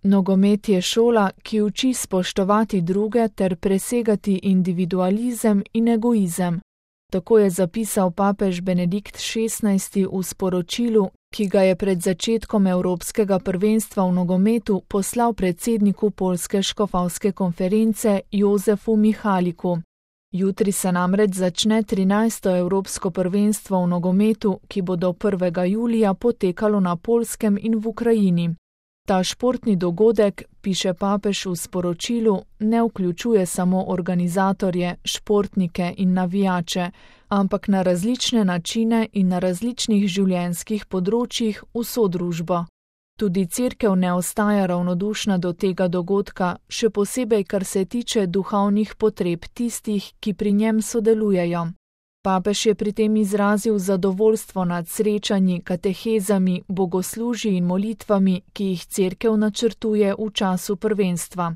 Nogomet je šola, ki uči spoštovati druge ter presegati individualizem in egoizem. Tako je zapisal papež Benedikt XVI v sporočilu, ki ga je pred začetkom Evropskega prvenstva v nogometu poslal predsedniku Poljske škofovske konference Jozefu Mihaliku. Jutri se namreč začne 13. Evropsko prvenstvo v nogometu, ki bo do 1. julija potekalo na Poljskem in v Ukrajini. Ta športni dogodek, piše papež v sporočilu, ne vključuje samo organizatorje, športnike in navijače, ampak na različne načine in na različnih življenjskih področjih vso družbo. Tudi Cerkev ne ostaja ravnodušna do tega dogodka, še posebej kar se tiče duhovnih potreb tistih, ki pri njem sodelujejo. Papež je pri tem izrazil zadovoljstvo nad srečanji, katehezami, bogoslužji in molitvami, ki jih Cerkev načrtuje v času prvenstva.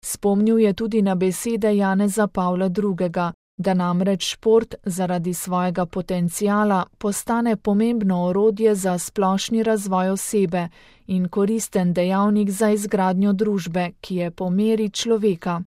Spomnil je tudi na besede Janeza Pavla II., da namreč šport zaradi svojega potenciala postane pomembno orodje za splošni razvoj osebe in koristen dejavnik za izgradnjo družbe, ki je po meri človeka.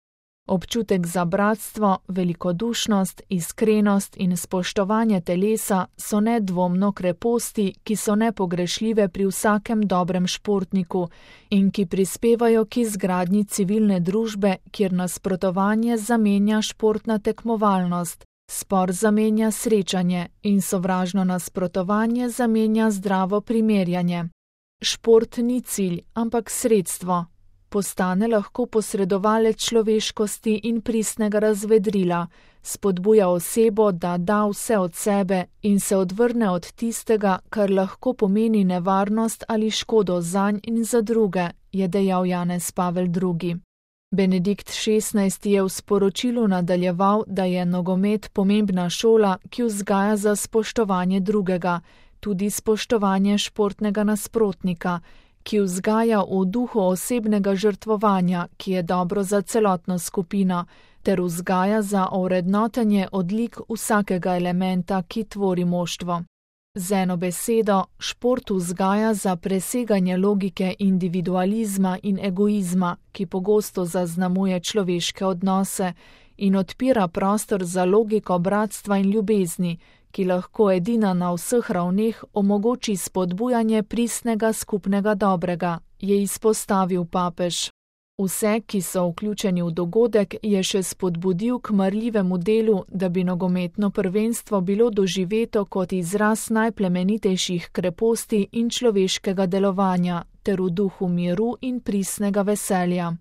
Občutek za bratstvo, velikodušnost, iskrenost in spoštovanje telesa so nedvomno kreposti, ki so nepogrešljive pri vsakem dobrem športniku in ki prispevajo k izgradnji civilne družbe, kjer nasprotovanje zamenja športna tekmovalnost, spor zamenja srečanje in sovražno nasprotovanje zamenja zdravo primerjanje. Šport ni cilj, ampak sredstvo. Postane lahko posredovalec človeškosti in pristnega razvedrila, spodbuja osebo, da da vse od sebe in se odvrne od tistega, kar lahko pomeni nevarnost ali škodo zanj in za druge, je dejal Janez Pavel II. Benedikt XVI je v sporočilu nadaljeval, da je nogomet pomembna šola, ki vzgaja za spoštovanje drugega, tudi spoštovanje športnega nasprotnika, ki vzgaja v duhu osebnega žrtvovanja, ki je dobro za celotno skupino, ter vzgaja za ovrednotenje odlik vsakega elementa, ki tvori moštvo. Z eno besedo, šport vzgaja za preseganje logike individualizma in egoizma, ki pogosto zaznamuje človeške odnose, in odpira prostor za logiko bratstva in ljubezni, ki lahko edina na vseh ravneh omogoči spodbujanje pristnega skupnega dobrega, je izpostavil papež. Vse, ki so vključeni v dogodek, je še spodbudil k marljivemu delu, da bi nogometno prvenstvo bilo doživeto kot izraz najplemenitejših kreposti in človeškega delovanja, ter v duhu miru in pristnega veselja.